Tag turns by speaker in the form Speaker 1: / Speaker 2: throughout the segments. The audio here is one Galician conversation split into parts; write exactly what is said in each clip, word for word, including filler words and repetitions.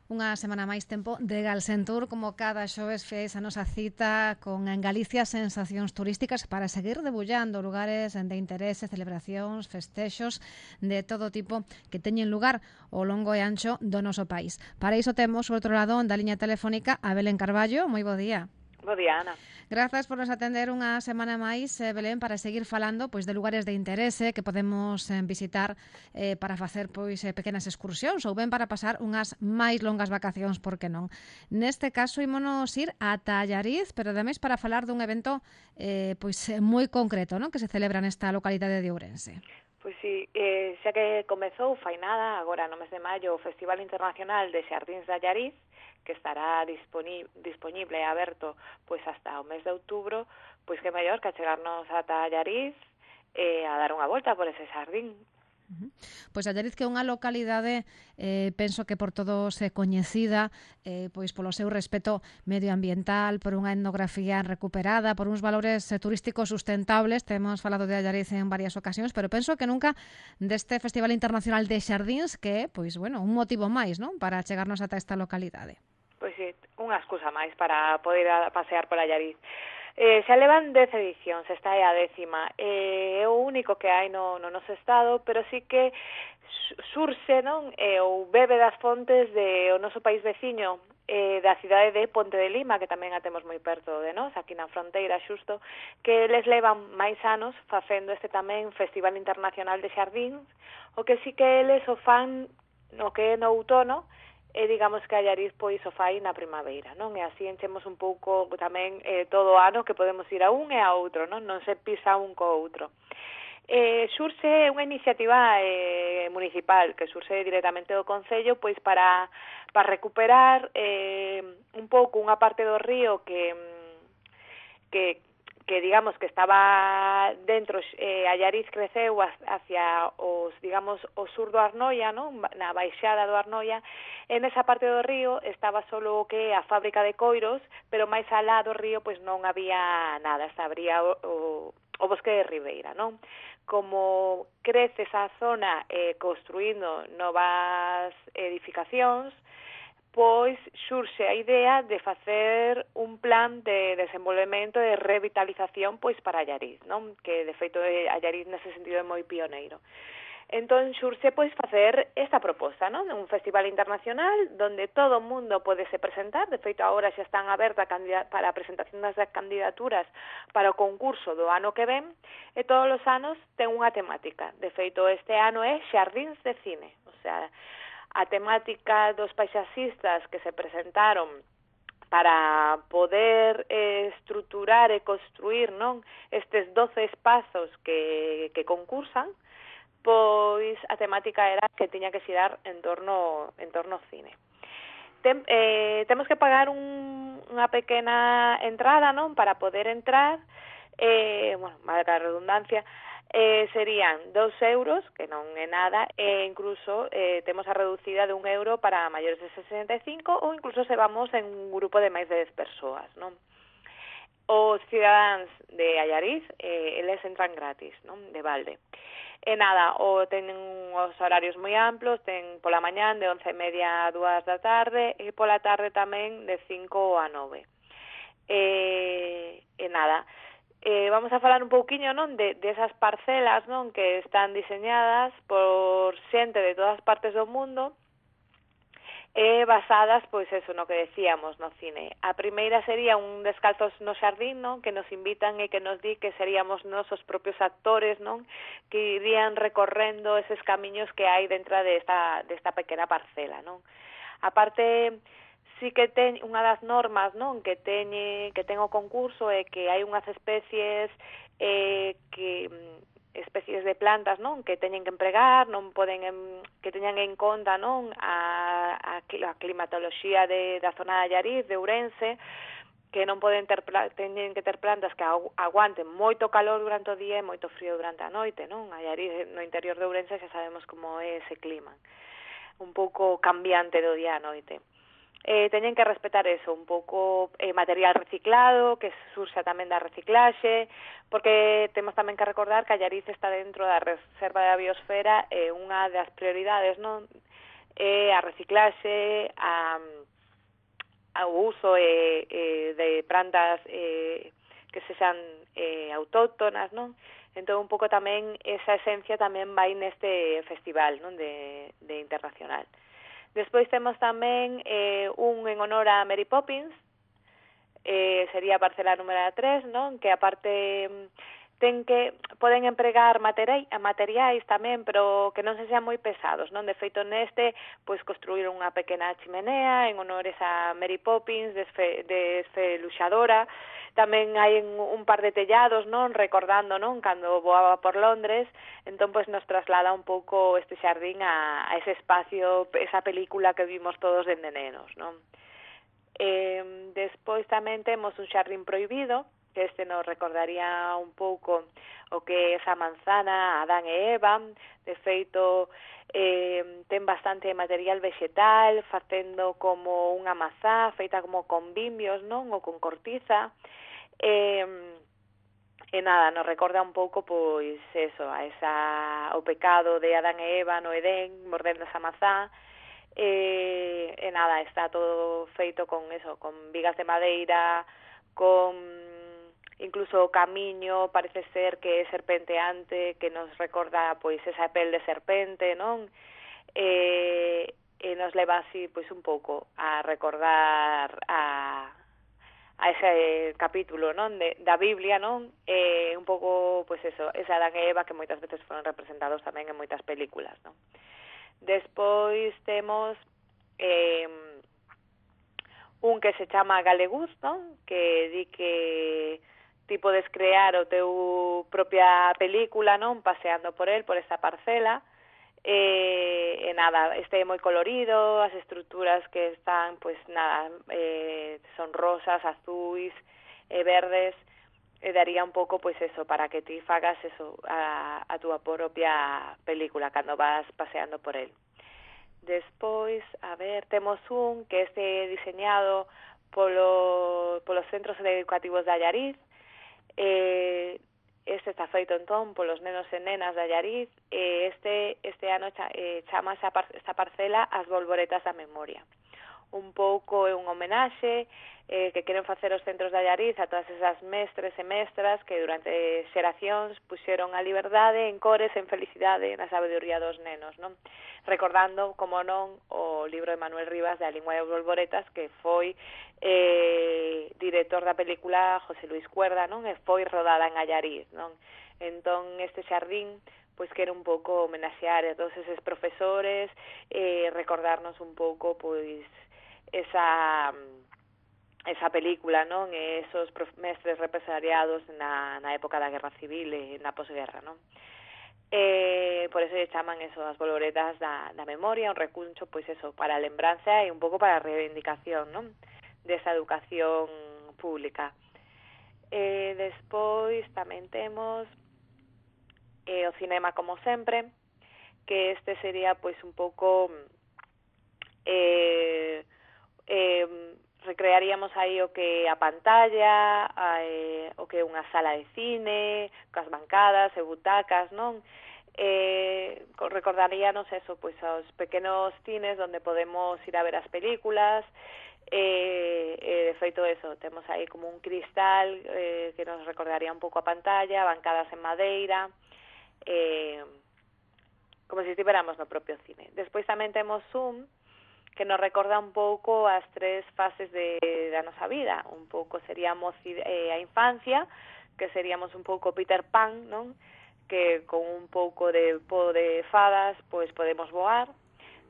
Speaker 1: Unha semana máis tempo de Galsentur, como cada xoves fez a nosa cita con en Galicia sensacións turísticas para seguir debullando lugares de interese, celebracións, festexos de todo tipo que teñen lugar ao longo e ancho do noso país. Para iso temos, ao outro lado, da liña telefónica, a Belén Carballo. Moi bo día.
Speaker 2: Bo día, Ana.
Speaker 1: Grazas por nos atender unha semana máis, eh, Belén, para seguir falando pois de lugares de interese que podemos eh, visitar eh, para facer pois eh, pequenas excursións ou ben para pasar unhas máis longas vacacións, por que non. Neste caso, ímonos ir a Allariz, pero ademais para falar dun evento eh, pois eh, moi concreto, non, que se celebra nesta localidade de Ourense.
Speaker 2: Pois sí, eh, xa que comezou fai nada, agora no mes de maio, o Festival Internacional de Xardíns de Allariz, que estará disponible, disponible e aberto pois hasta o mes de outubro, pois que mellor que chegarnos ata Allariz e eh, a dar unha volta por ese xardín.
Speaker 1: Uh-huh. Pois Allariz, que é unha localidade eh, penso que por todos é coñecida eh, pois polo seu respeto medioambiental, por unha etnografía recuperada, por uns valores eh, turísticos sustentables. Temos falado de Allariz en varias ocasións, pero penso que nunca deste Festival Internacional de Xardíns, que é, pois, bueno, un motivo máis, non, para chegarnos ata esta localidade.
Speaker 2: Pois sí, unha excusa máis para poder a pasear por Allariz. Eh, xa levan dez edicións, esta é a décima. Eh, é o único que hai no, no noso estado, pero sí que surxe, non, eh, ou bebe das fontes de o noso país veciño, eh, da cidade de Ponte de Lima, que tamén a temos moi perto de nós, aquí na fronteira xusto, que eles levan máis anos facendo este tamén Festival Internacional de Xardíns, o que sí que eles o fan no que é no outono, e digamos que Allariz pois o fai na primavera, non? E así enchemos un pouco tamén eh, todo o ano que podemos ir a un e a outro, non? Non se pisa un co outro. Eh, surxe unha iniciativa eh, municipal que surxe directamente do Concello pois para, para recuperar eh, un pouco unha parte do río que que que digamos que estaba dentro, eh, Allariz creceu hacia os, digamos, o sur do Arnoia, non? Na baixada do Arnoia, e nesa parte do río estaba solo o que a fábrica de coiros, pero máis alá do río pois non había nada, estaría o, o, o bosque de Ribeira, non? Como crece esa zona eh, construindo novas edificacións, pois xurxe a idea de facer un plan de desenvolvemento e de revitalización pois para Allariz, non? Que de feito Allariz nese sentido é moi pioneiro. Entón xurxe pois facer esta proposta, non? Un festival internacional donde todo o mundo pode se presentar, de feito agora xa están abertas para a presentación das candidaturas para o concurso do ano que ven, e todos os anos ten unha temática. De feito este ano é Xardíns de Cine, o sea, a temática dos paisaxistas que se presentaron para poder eh, estruturar e construir, non, estes doce espazos que, que concursan, pois a temática era que tiña que xirar en torno, en torno ao cine. Tem, eh, temos que pagar un, unha pequena entrada, non, para poder entrar, eh, bueno, valga a redundancia, Eh, serían dos euros, que non é nada, e incluso eh, temos a reducida de un euro para maiores de sesenta e cinco ou incluso se vamos en un grupo de máis de dez persoas, non? Os cidadáns de Allariz, eh, eles entran gratis, non? De balde. E nada, o tenen os horarios moi amplos, ten pola mañán de once e media a dúas da tarde e pola tarde tamén de cinco a nove. E, e nada, Eh, vamos a falar un pouquiño, non, de, de esas parcelas, non, que están diseñadas por xente de todas partes do mundo e basadas, pois eso, no que decíamos, no cine. A primeira sería un Descalzos no Xardín, non, que nos invitan e que nos di que seríamos nos os propios actores, non, que irían recorrendo eses camiños que hai dentro desta, desta pequena parcela, non. A parte sí que ten unha das normas, non, que teñe que ten o concurso é que hai unhas especies eh, que especies de plantas, non, que teñen que empregar, non poden em, que teñan en conta, non, a, a, a climatoloxía de da zona de Allariz, de Ourense, que non poden ter teñen que ter plantas que aguanten moito calor durante o día e moito frío durante a noite, non? Allariz no interior de Ourense xa sabemos como é ese clima, un pouco cambiante do día a noite. Eh, teñen que respetar eso, un pouco eh, material reciclado, que surxa tamén da reciclaxe, porque temos tamén que recordar que Allariz está dentro da Reserva da Biosfera, e eh, unha das prioridades, non, e a reciclaxe, a, a o uso e, e de plantas e, que sexan eh, autóctonas, non? Entón, un pouco tamén, esa esencia tamén vai neste festival, non? De, de internacional. Despois temos tamén eh, un en honor a Mary Poppins, eh, sería a parcela número tres, non? Que aparte ten que poden empregar materiais, materiais tamén, pero que non se sean moi pesados, non? De feito neste, pois construir unha pequena chimenea en honores a Mary Poppins, desfe, desfeluxadora. Tamén hai un par de tellados, non? Recordando, non? Cando voaba por Londres, entón pois nos traslada un pouco este xardín a, a ese espacio, esa película que vimos todos dende nenos, non? Eh, despois tamén temos un xardín prohibido, que este nos recordaría un pouco o que é esa manzana, Adán e Eva. De feito, eh, ten bastante material vegetal, facendo como unha mazá, feita como con bimbios, non? Ou con cortiza. E, e nada, nos recorda un pouco, pois, eso, a esa, o pecado de Adán e Eva no Edén, mordendo esa mazá. E, e nada, está todo feito con eso, con vigas de madeira, con incluso o camiño parece ser que é serpenteante, que nos recorda pois esa pel de serpente, non? E, e nos leva así pois un pouco a recordar a, a ese capítulo, non? De, da Biblia, non? E un pouco, pois eso, esa Adán e Eva que moitas veces foron representados tamén en moitas películas, non? Despois temos eh, un que se chama Galeguz, non? Que di que ti podes crear o teu propia película, non? Paseando por el, por esta parcela. E, e nada, este é moi colorido, as estruturas que están, pois nada, eh, son rosas, azuis e verdes, e daría un pouco, pois eso, para que ti fagas eso, a, a túa propia película cando vas paseando por el. Despois, a ver, temos un que este diseñado polo, polos centros educativos de Allariz. Eh, este está feito entón polos nenos e nenas de Allariz, e este este ano cha, eh, chama esa par, esta parcela As Bolboretas da Memoria. Un pouco é un homenaxe eh, que queren facer os centros de Allariz a todas esas mestres e mestras que durante xeracións puxeron a liberdade en cores, en felicidade, na sabedoría dos nenos, non? Recordando, como non, o libro de Manuel Rivas de A Lingua das Bolboretas, que foi eh, director da película José Luis Cuerda, non? E foi rodada en Allariz, non? Entón, este xardín pois quere un pouco homenaxear a todos eses profesores, eh, recordarnos un pouco, pois, esa esa película, non? E esos mestres represaliados na, na época da Guerra Civil e na posguerra, non? Eh, por eso lle chaman eso, as bolboretas da, da memoria, un recuncho, pois eso, para a lembranza e un pouco para a reivindicación, non? Desa educación pública. Eh, despois tamén temos eh, o cinema como sempre, que este sería pois un pouco eh, eh, recrearíamos aí o que a pantalla, a, eh, o que é unha sala de cine, cas bancadas e butacas, non? Eh, recordaríanos eso, pois aos pequenos cines onde podemos ir a ver as películas, e, eh, de feito eso, temos aí como un cristal eh, que nos recordaría un pouco a pantalla, bancadas en madeira, eh, como se estiveramos no propio cine. Despois tamén temos un que nos recorda un pouco as tres fases de, da nosa vida. Un pouco seríamos eh, a infancia, que seríamos un pouco Peter Pan, non? Que con un pouco de po de fadas, pois podemos voar.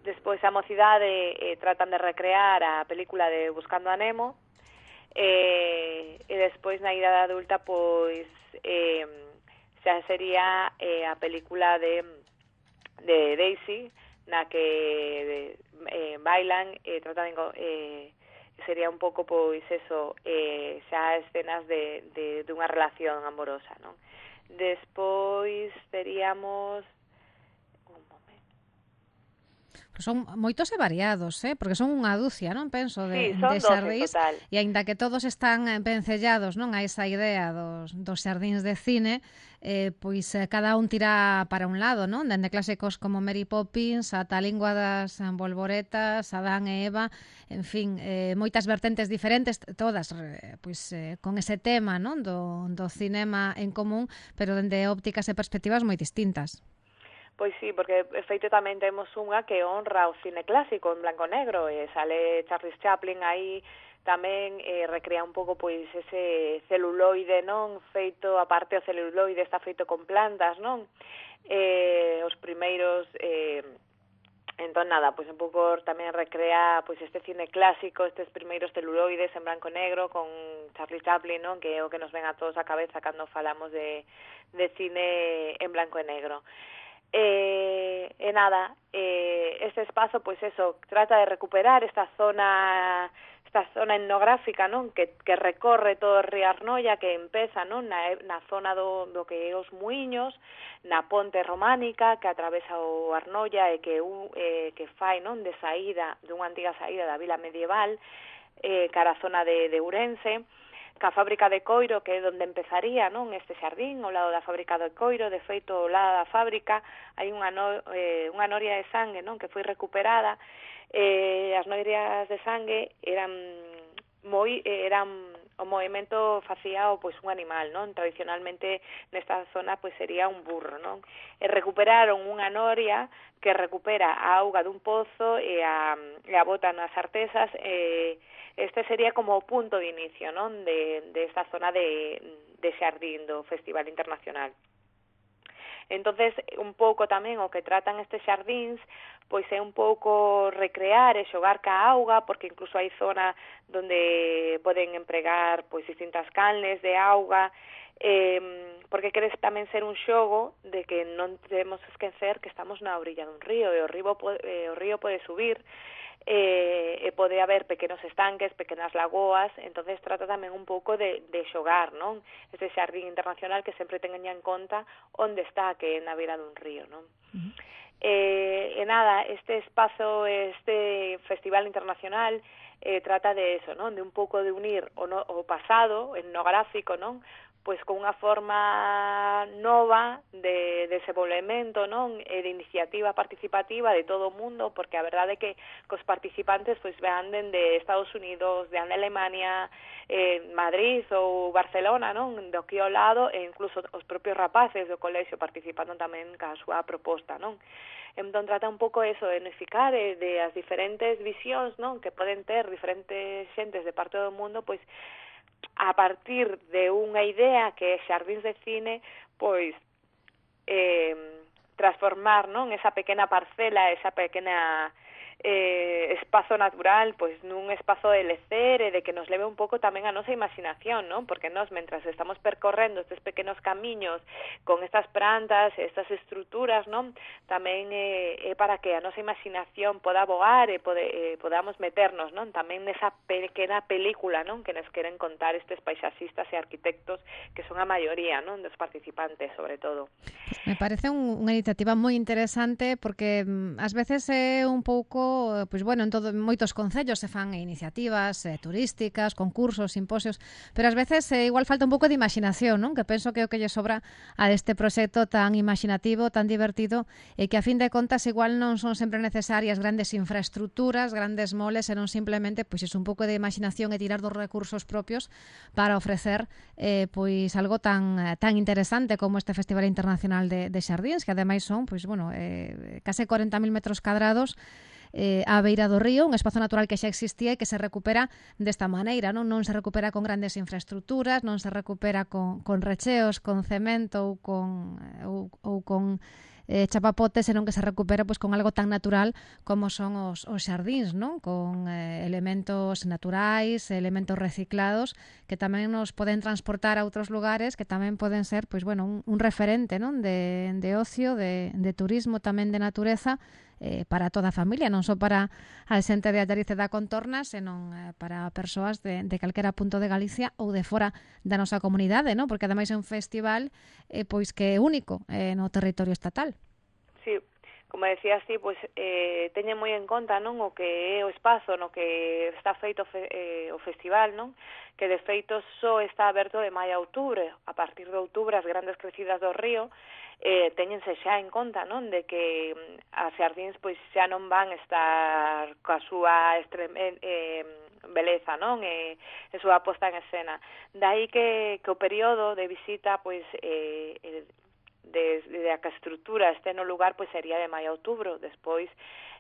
Speaker 2: Despois a mocidade eh, tratan de recrear a película de Buscando a Nemo. Eh, e despois na idade adulta, pois eh, xa sería eh, a película de, de Daisy, na que eh, bailan e eh, tratan de, eh, sería un pouco pois eso, eh, xa escenas de, de, de unha relación amorosa, non? Despois teríamos un momento.
Speaker 1: Son moitos e variados, eh? Porque son unha dúcia, non? Penso, de,
Speaker 2: sí, son
Speaker 1: de xardíns,
Speaker 2: total.
Speaker 1: E aínda que todos están vencellados, non, a esa idea dos, dos xardíns de cine, eh, pois eh, cada un tira para un lado, non? Dende clásicos como Mary Poppins, ata a Lingua das Bolboretas, Adán e Eva, en fin, eh, moitas vertentes diferentes, todas eh, pois eh, con ese tema, non? Do, do cinema en común, pero dende ópticas e perspectivas moi distintas.
Speaker 2: Pois sí, porque de feito tamén temos unha que honra o cine clásico en blanco e negro, e sale Charles Chaplin aí tamén eh, recrea un pouco pois ese celuloide, non? Feito, aparte o celuloide está feito con plantas, non? Eh, os primeiros eh, entón nada, pois un pouco tamén recrea pois este cine clásico, estes primeiros celuloides en blanco e negro con Charlie Chaplin, non? Que é o que nos ven a todos a cabeza cando falamos de, de cine en blanco e negro. Eh, e nada, eh, este espazo, pois eso, trata de recuperar esta zona esta zona etnográfica, non? Que, que recorre todo o río Arnoia, que empeza, non? Na, na zona do, do que é os muiños, na ponte románica que atravesa o Arnoia e que, eh, que fai, non? De saída, dunha antiga saída da vila medieval, eh, cara a zona de, de Ourense, ca fábrica de coiro, que é onde empezaría, non? Este xardín, ao lado da fábrica de coiro. De feito, ao lado da fábrica hai unha, no, eh, unha noria de sangue, non? Que foi recuperada. Eh, as norias de sangue eran moi eran o movimento facía o pois un animal, non? Tradicionalmente nesta zona pois sería un burro, non? E recuperaron unha noria que recupera a auga dun pozo e a, e a bota nas artesas. E este sería como o punto de inicio, non? De, de esta zona de, de xardín do Festival Internacional. Entonces, un pouco tamén o que tratan estes xardíns pois é un pouco recrear e xogar ca auga, porque incluso hai zona donde poden empregar pois distintas canles de auga, eh, porque queres tamén ser un xogo de que non debemos esquecer que estamos na orilla dun río, e o río pode, eh, o río pode subir, eh, e pode haber pequenos estanques, pequenas lagoas. Entonces trata tamén un pouco de, de xogar, non? Este xardín internacional que sempre teña en conta onde está, que é na beira dun río, non? Uh-huh. Eh, e nada, este espazo, este Festival Internacional eh, trata de eso, non? De un pouco de unir o, no, o pasado etnográfico, non? Pois con unha forma nova de desenvolvemento, non? E de iniciativa participativa de todo o mundo, porque a verdade é que cos participantes pois vean de Estados Unidos, de Alemania, eh, Madrid ou Barcelona, non? Do aquí ao lado, e incluso os propios rapaces do colexio participando tamén ca súa proposta, non? Entón trata un pouco eso, de unificar eh, de as diferentes visións, non? Que poden ter diferentes xentes de parte do mundo, pois a partir de unha idea que é xardíns de cine, pois eh, transformar, non? Esa pequena parcela, esa pequena eh, espazo natural, pois nun espazo de lecer e de que nos leve un pouco tamén a nosa imaginación, non? Porque nós, mentras estamos percorrendo estes pequenos camiños con estas plantas, estas estruturas, non? Tamén eh, é para que a nosa imaginación poda voar e pode, eh, podamos meternos, non? Tamén nesa pequena película, non? Que nos queren contar estes paisaxistas e arquitectos que son a maioría, non? Dos participantes, sobre todo.
Speaker 1: Me parece un, unha iniciativa moi interesante porque mm, ás veces é un pouco, pois bueno, en todo, moitos concellos se fan iniciativas eh, turísticas, concursos, simposios, pero ás veces eh, igual falta un pouco de imaginación, non? Que penso que é o que lle sobra a este proxecto tan imaginativo, tan divertido, e que a fin de contas igual non son sempre necesarias grandes infraestructuras, grandes moles, e non simplemente pois é un pouco de imaginación e tirar dos recursos propios para ofrecer eh, pois algo tan tan interesante como este Festival Internacional de, de Xardíns, que ademais son pois bueno, eh, case corenta mil metros cadrados eh, á beira do río, un espazo natural que xa existía e que se recupera desta maneira, non? Non se recupera con grandes infraestructuras, non se recupera con, con recheos, con cemento ou con, ou, ou con eh, chapapotes, senón que se recupera pois con algo tan natural como son os, os xardíns, non? Con eh, elementos naturais, elementos reciclados que tamén nos poden transportar a outros lugares, que tamén poden ser pois bueno, un, un referente, non? De, de ocio, de, de turismo, tamén de natureza, eh, para toda a familia, non só para a xente de Allariz e da contorna, senón eh, para persoas de, de calquera punto de Galicia ou de fora da nosa comunidade, non? Porque ademais é un festival eh, pois que é único eh, no territorio estatal.
Speaker 2: Sí, como decías ti, pois eh, teñen moi en conta, non, o que é o espazo no que está feito fe, eh, o festival, non, que de feito só está aberto de maio a outubro. A partir de outubro as grandes crecidas do río eh, teñense xa en conta, non, de que as xardíns pois xa non van estar coa súa extreme, eh, beleza, non, e, e súa posta en escena. Daí que, que o período de visita pois eh, eh, desde a que a estrutura este no lugar pois sería de maio a outubro. Despois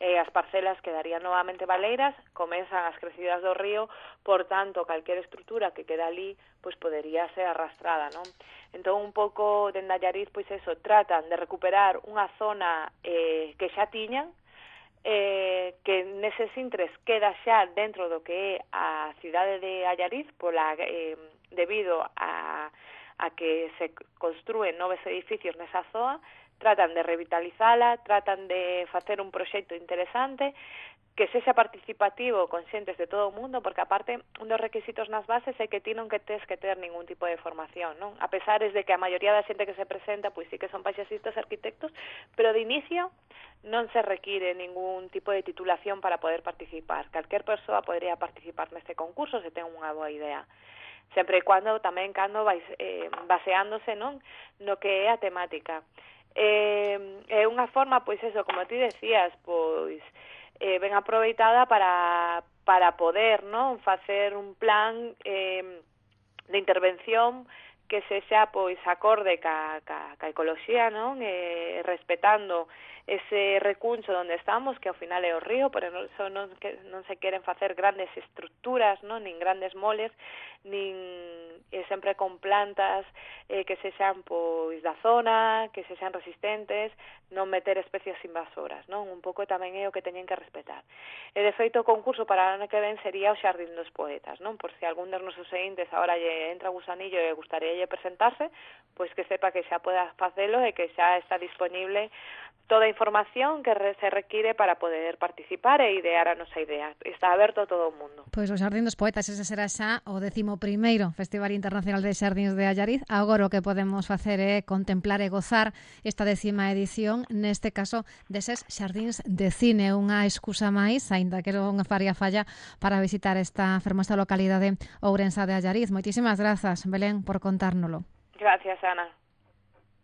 Speaker 2: eh, as parcelas quedarían novamente baleiras, comezan as crecidas do río, por tanto, calquera estrutura que queda ali pois podería ser arrastrada, non? Entón, un pouco de Allariz, pois eso, tratan de recuperar unha zona eh, que xa tiñan, eh, que neses intres queda xa dentro do que é a cidade de Allariz, pola, eh, debido a a que se construen novos edificios nesa zoa, tratan de revitalizala, tratan de facer un proxecto interesante, que sexa participativo, conscientes de todo o mundo, porque aparte, un dos requisitos nas bases é que ti non que tes que ter ningún tipo de formación, non? A pesar de que a maioría da xente que se presenta, pois sí que son paisexistas, arquitectos, pero de inicio non se require ningún tipo de titulación para poder participar. Calquer persoa podría participar neste concurso se ten unha boa idea. Sempre e cando tamén cando vais eh, baseándose, non, no que é a temática. Eh, é unha forma, pois eso, como ti decías, pois eh, ben aproveitada para para poder, non, facer un plan eh, de intervención que sexa pois acorde ca, ca, ca ecoloxía, non, eh, respetando ese recuncho onde estamos, que ao final é o río, pero non, so, non, que, non se queren facer grandes estructuras, non, nin grandes moles, nin eh, sempre con plantas eh, que sexan pois da zona, que sexan resistentes, non meter especies invasoras, non? Un pouco tamén é o que teñen que respetar. E de feito o concurso para o ano que ven sería o Xardín dos Poetas, non? Por se algún dos nosos seguintes agora lle entra gusanillo e gustaría presentarse, pois que sepa que xa poda facelo e que xa está disponible toda a información que se require para poder participar e idear a nosa idea. Está aberto a todo o mundo.
Speaker 1: Pois o Xardín dos Poetas, ese será xa o décimo primeiro Festival Internacional de Xardíns de Allariz. Agora o que podemos facer é contemplar e gozar esta décima edición, neste caso deses xardíns de cine, unha excusa máis, aínda que non faría falla, para visitar esta fermosa localidade ourensa de Allariz. Moitísimas grazas, Belén, por contárnolo.
Speaker 2: Gracias, Ana.